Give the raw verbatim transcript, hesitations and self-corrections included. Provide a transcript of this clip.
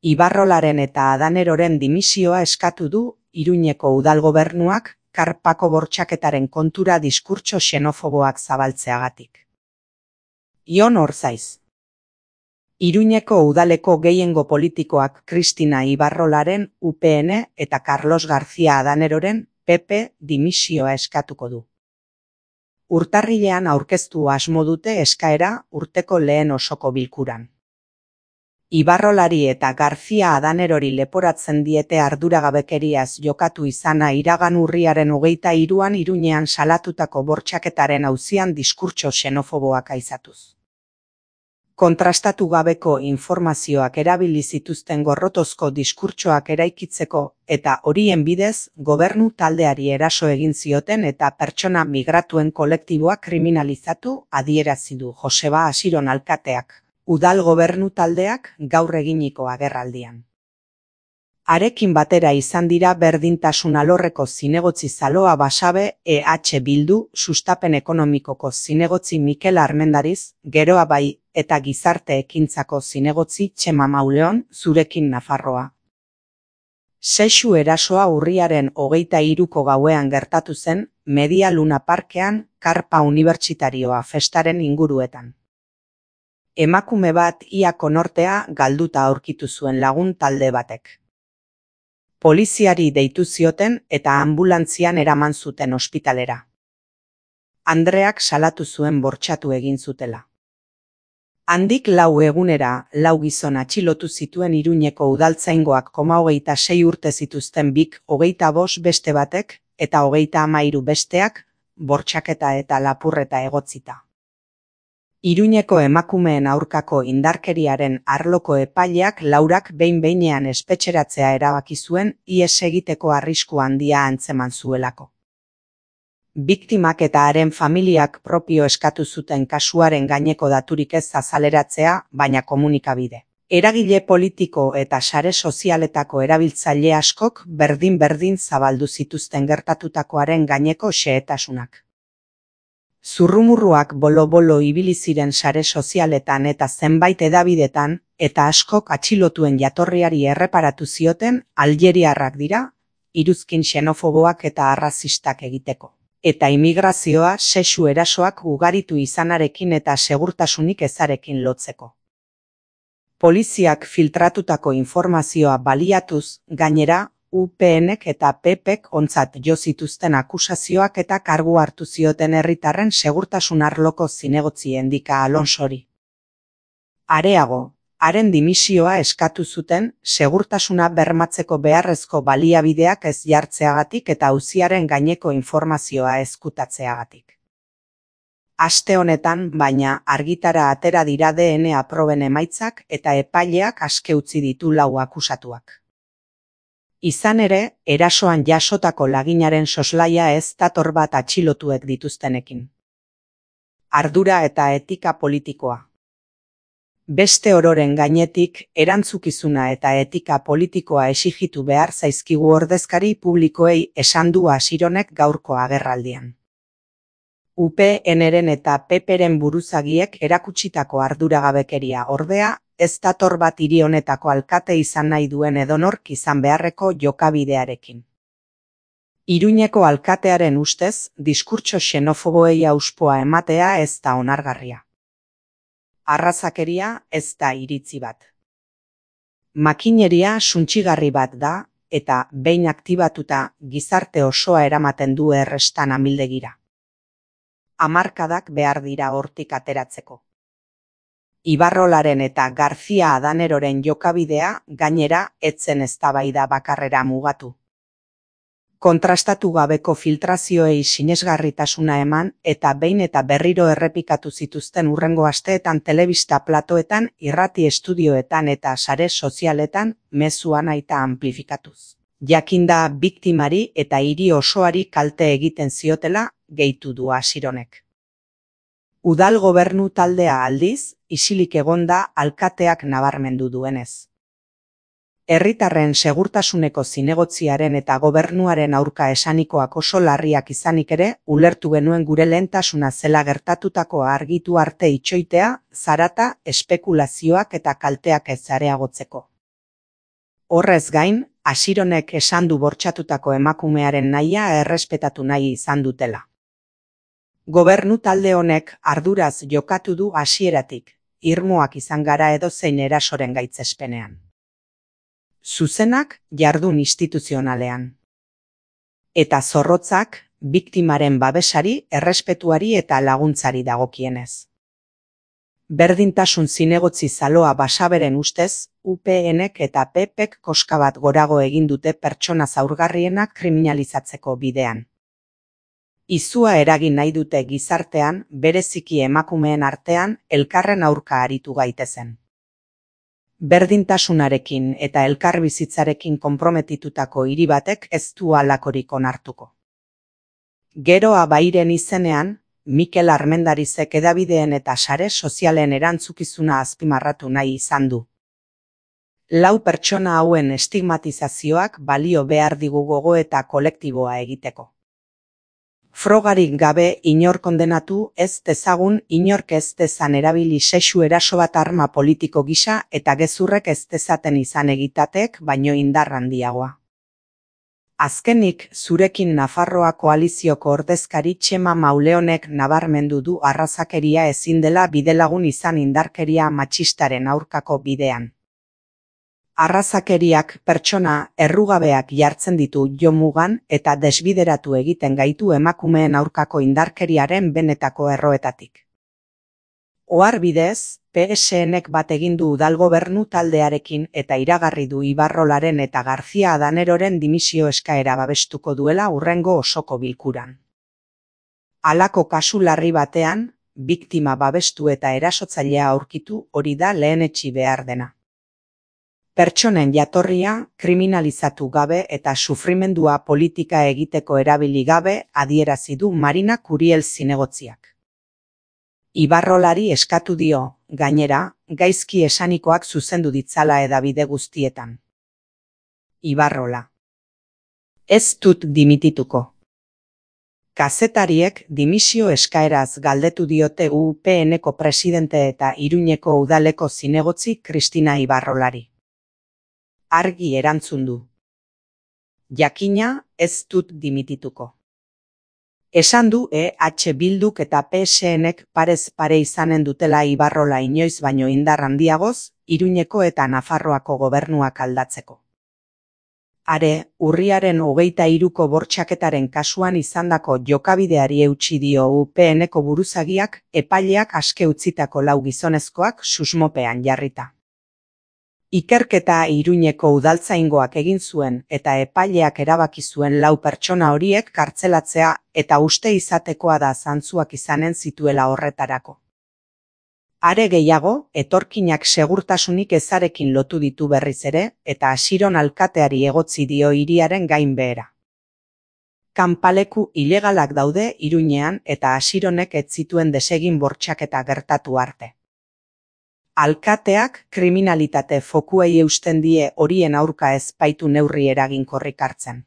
Ibarrolaren eta Adaneroren dimisioa eskatu du Iruñeko udalgobernuak Karpako bortxaketaren kontura diskurtso xenofoboak zabaltzeagatik. Ion Orzaiz. Iruñeko udaleko gehiengo politikoak Kristina Ibarrolaren U P N eta Carlos García Adaneroren P P dimisioa eskatuko du. Urtarrilean aurkeztu asmo dute eskaera urteko lehen osoko bilkuran. Ibarrolari eta García Adanerori leporatzen diete arduragabekeriaz jokatu izana iragan urriaren hogeita hiruan Iruñean salatutako bortxaketaren auzian diskurtso xenofoboak aizatuz. Kontrastatu gabeko informazioak erabili zituzten gorrotozko diskurtsoak eraikitzeko eta horien bidez gobernu taldeari eraso egin zioten eta pertsona migratuen kolektiboa kriminalizatu adierazi du Joseba Asiron alkateak, udal gobernu taldeak gaur eginiko agerraldian. Arekin batera izan dira berdintasun alorreko zinegotzi Zaloa Basabe E H Bildu, sustapen ekonomikoko zinegotzi Mikel Armendariz, Geroa Bai eta gizarte ekintzako zinegotzi Txema Mauleon, Zurekin Nafarroa. Sexu erasoa urriaren hogeita hiruko gauean gertatu zen Media Luna Parkean Karpa Unibertsitarioa festaren inguruetan. Emakume bat ia konortea galduta aurkitu zuen lagun talde batek. Poliziari deitu zioten eta ambulantzian eraman zuten ospitalera. Andreak salatu zuen bortxatu egin zutela. Handik lau egunera lau gizon atxilotu zituen Iruñeko udaltzaingoak koma hogeita sei urte zituzten bik hogeita bost beste batek eta hogeita hamairu besteak bortxaketa eta lapurreta egotzita. Iruñeko emakumeen aurkako indarkeriaren arloko epaileak laurak behin-behinean espetxeratzea erabaki zuen ihes egiteko arrisku handia antzeman zuelako. Biktimak eta haren familiak propio eskatu zuten kasuaren gaineko daturik ez azaleratzea, baina komunikabide. Eragile politiko eta sare sozialetako erabiltzaile askok berdin-berdin zabaldu zituzten gertatutakoaren gaineko xehetasunak. Zurrumurruak bolo-bolo ibili ziren sare sozialetan eta zenbait edabidetan, eta askok atxilotuen jatorriari erreparatu zioten aljeriarrak dira, iruzkin xenofoboak eta arrazistak egiteko. Eta imigrazioa sexu erasoak ugaritu izanarekin eta segurtasunik ezarekin lotzeko. Poliziak filtratutako informazioa baliatuz, gainera, U PNek eta P Pek ontzat jo zituzten akusazioak eta kargu hartu zioten herritarren segurtasun arloko zinegotzi Endika Alonsori. Areago, haren dimisioa eskatu zuten segurtasuna bermatzeko beharrezko baliabideak ez jartzeagatik eta auziaren gaineko informazioa ezkutatzeagatik. Aste honetan, baina, argitara atera dira D N A proben emaitzak eta epaileak aske utzi ditu lau akusatuak. Izan ere, erasoan jasotako laginaren soslaia ez dator bat atxilotuek dituztenekin. Ardura eta etika politikoa. Beste ororen gainetik, erantzukizuna eta etika politikoa exigitu behar zaizkigu ordezkari publikoei esan du Asironek gaurko agerraldian. U P Nren eta P Pren buruzagiek erakutsitako arduragabekeria ordea, ez dator bat hiri honetako alkate izan nahi duen edonork izan beharreko jokabidearekin. Iruñeko alkatearen ustez, diskurtso xenofoboei auspoa ematea ez da onargarria. Arrazakeria ez da iritzi bat. Makineria suntsigarri bat da, eta behin aktibatuta gizarte osoa eramaten du errestan amildegira. Hamarkadak behar dira hortik ateratzeko. Ibarrolaren eta García Adaneroren jokabidea gainera etzen eztabaida bakarrera mugatu. Kontrastatu gabeko filtrazioei sinesgarritasuna eman eta behin eta berriro errepikatu zituzten hurrengo asteetan telebista platoetan, irrati estudioetan eta sare sozialetan mezua nahita amplifikatuz. Jakinda biktimari eta hiri osoari kalte egiten ziotela, gehitu du Asironek. Udal gobernu taldea aldiz, isilik egonda alkateak nabarmendu duenez. Herritarren segurtasuneko zinegotziaren eta gobernuaren aurka esanikoak oso larriak izanik ere, ulertu genuen gure lehentasuna zela gertatutakoa argitu arte itxoitea, zarata, espekulazioak eta kalteak ez areagotzeko. Horrez gain, Asironek esan du bortxatutako emakumearen nahia errespetatu nahi izan dutela. Gobernu talde honek arduraz jokatu du hasieratik, irmoak izan gara edozein erasoren gaitzespenean. Zuzenak jardun instituzionalean. Eta zorrotzak, biktimaren babesari, errespetuari eta laguntzari dagokienez. Berdintasun zinegotzi zaloa Basaberen ustez, U PNek eta P Pek koska bat gorago egin dute pertsona zaurgarrienak kriminalizatzeko bidean. Izua eragin nahi dute gizartean, bereziki emakumeen artean, elkarren aurka aritu gaitezen. Berdintasunarekin eta elkarbizitzarekin konprometitutako hiri batek ez du halakorik onartuko. Geroa Bairen izenean, Mikel Armendarizek hedabideen eta sare sozialen erantzukizuna azpimarratu nahi izan du. Lau pertsona hauen estigmatizazioak balio behar digu gogoeta kolektiboa egiteko. Frogarik gabe inor kondenatu ez dezagun inork ez dezan erabili sexu eraso bat arma politiko gisa eta gezurrek ez dezaten izan egitatek baino indar handiagoa. Azkenik, zurekin Nafarroa koalizioko ordezkari Txema Mauleonek nabarmendu du arrazakeria ezin dela bidelagun izan indarkeria matxistaren aurkako bidean. Arrazakeriak pertsona errugabeak jartzen ditu jomugan eta desbideratu egiten gaitu emakumeen aurkako indarkeriaren benetako erroetatik. Ohar bidez, P S Nek bat egin du udalgobernu taldearekin eta iragarri du Ibarrolaren eta García Adaneroren dimisio eskaera babestuko duela hurrengo osoko bilkuran. Halako kasu larri batean, biktima babestu eta erasotzailea aurkitu hori da lehenetsi behar dena. Pertsonen jatorria kriminalizatu gabe eta sufrimendua politika egiteko erabili gabe adierazi du Marina Curiel zinegotziak. Ibarrolari eskatu dio, gainera, gaizki esanikoak zuzendu ditzala hedabide guztietan. Ibarrola. Ez dut dimitituko. Kazetariek dimisio eskaeraz galdetu diote U P Neko presidente eta Iruñeko udaleko zinegotzi Kristina Ibarrolari. Argi erantzun du. Jakina, ez dut dimitituko. Esan du E H Bilduk eta P S Nek parez pare izanen dutela Ibarrola inoiz baino indar handiagoz, Iruñeko eta Nafarroako gobernuak aldatzeko. Are, urriaren hogeita hiruko bortxaketaren kasuan izandako jokabideari eutsi dio U P Neko buruzagiak epaileak aske utzitako lau gizonezkoak susmopean jarrita. Ikerketa Iruñeko udaltzaingoak egin zuen eta epaileak erabaki zuen lau pertsona horiek kartzelatzea eta uste izatekoa da zantzuak izanen zituela horretarako. Are gehiago, etorkinak segurtasunik ezarekin lotu ditu berriz ere eta Asiron alkateari egotzi dio hiriaren gainbehera. Kanpaleku ilegalak daude Iruñean eta Asironek ez zituen desegin bortxaketa gertatu arte. Alkateak kriminalitate fokuei eusten die horien aurka ez baitu neurri eraginkorrik hartzen.